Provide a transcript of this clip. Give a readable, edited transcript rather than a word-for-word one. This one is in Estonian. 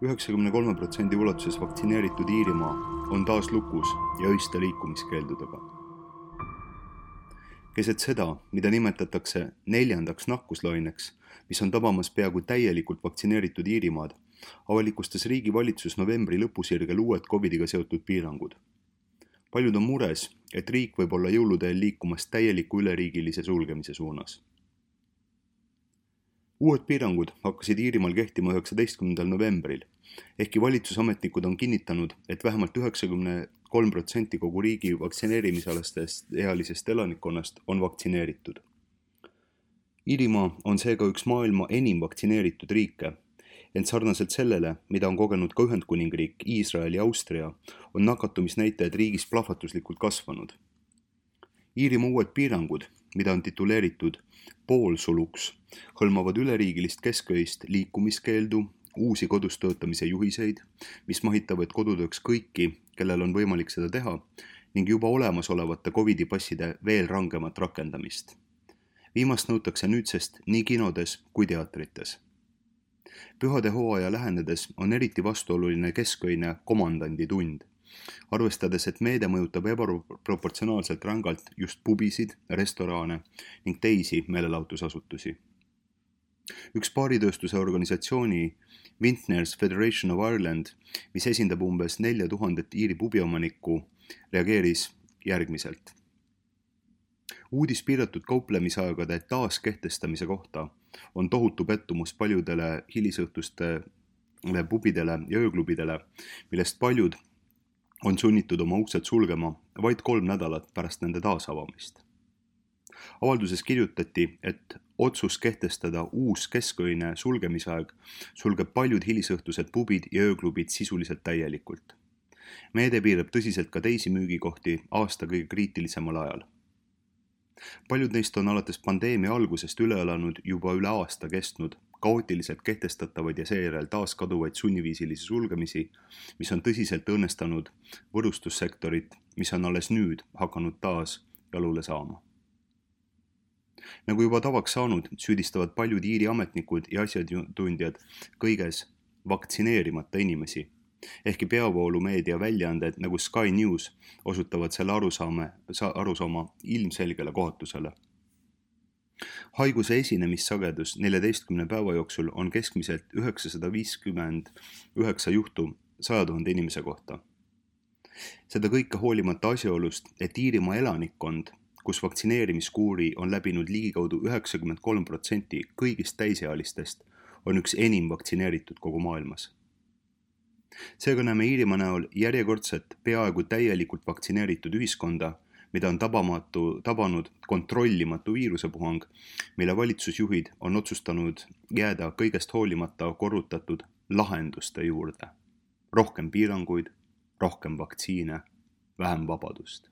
93% ulatuses vaktsineeritud Iirimaa on taas lukus ja öiste liikumiskeeldudega. Keset seda, mida nimetatakse 4. nakkuslaineks, mis on tabamas peaaegu täielikult vaktsineeritud Iirimaad, avalikustas riigi valitsus novembri lõpusirgel uued COVIDiga seotud piirangud. Paljud on mures, et riik võib olla jõuludel liikumas täieliku üleriigilise sulgemise suunas. Uued piirangud hakkasid Iirimaal kehtima 19. novembril, ehkki valitsusametnikud on kinnitanud, et vähemalt 93% kogu riigi vaktsineerimisalastest ealisest elanikkonnast on vaktsineeritud. Iirimaa on seega üks maailma enim vaktsineeritud riike, ent sarnaselt sellele, mida on kogenud ka Ühendkuningriik, Iisrael ja Austria, on nakatumisnäitajad riigis plahvatuslikult kasvanud. Iirimaa uued piirangud, mida on tituleeritud poolsuluks, hõlmavad üleriigilist kesköist liikumiskeeldu, uusi kodus töötamise juhiseid, mis mahitavad kodutööks kõiki, kellel on võimalik seda teha, ning juba olemasolevate COVID-i passide veel rangemat rakendamist. Viimast nõutakse nüüdsest nii kinodes kui teatrites. Pühade hooaja lähenedes on eriti vastuoluline kesköine komandandi tund, arvestades, et meede mõjutab ebaproportsionaalselt rängalt just pubisid, restorane ning teisi meelelahutusasutusi. Üks baaritööstuse organisatsiooni Vintners Federation of Ireland, mis esindab umbes 4000 Iiri pubiomanikku, reageeris järgmiselt. Uudis piiratud kauplemisaegade taaskehtestamise kohta on tohutu pettumus paljudele hilisõhtustele pubidele ja ööklubidele, millest paljud on sunnitud oma uksed sulgema vaid 3 nädalat pärast nende taasavamist. Avalduses kirjutati, et otsus kehtestada uus kesköine sulgemisaeg sulgeb paljud hilisõhtused pubid ja ööklubid sisuliselt täielikult. Meede piirab tõsiselt ka teisi müügikohti aasta kõige kriitilisemal ajal. Paljud neist on alates pandeemia algusest üle elanud juba üle aasta kestnud kaootiliselt kehtestatavaid ja seejärel taas kaduvaid sunniviisilisi sulgemisi, mis on tõsiselt õnnestanud võrustussektorit, mis on alles nüüd hakanud taas jalule saama. Nagu juba tavaks saanud, süüdistavad paljud Iiri ametnikud ja asjatundjad kõiges vaktsineerimata inimesi, ehkki peavoolumeedia väljaanded nagu Sky News osutavad selle arusaama ilmselgele kohatusele. Haiguse esinemissagedus 14 päeva jooksul on keskmiselt 959 juhtu 100 000 inimese kohta. Seda kõike hoolimata asjaolust, et Iirimaa elanikkond, kus vaktsineerimiskuuri on läbinud ligikaudu 93% kõigist täisealistest, on üks enim vaktsineeritud kogu maailmas. Seega näeme Iirimaa näol järjekordset peaaegu täielikult vaktsineeritud ühiskonda, mida on tabanud kontrollimatu viirusepuhang, mille valitsusjuhid on otsustanud jääda kõigest hoolimata korrutatud lahenduste juurde. Rohkem piiranguid, rohkem vaktsiine, vähem vabadust.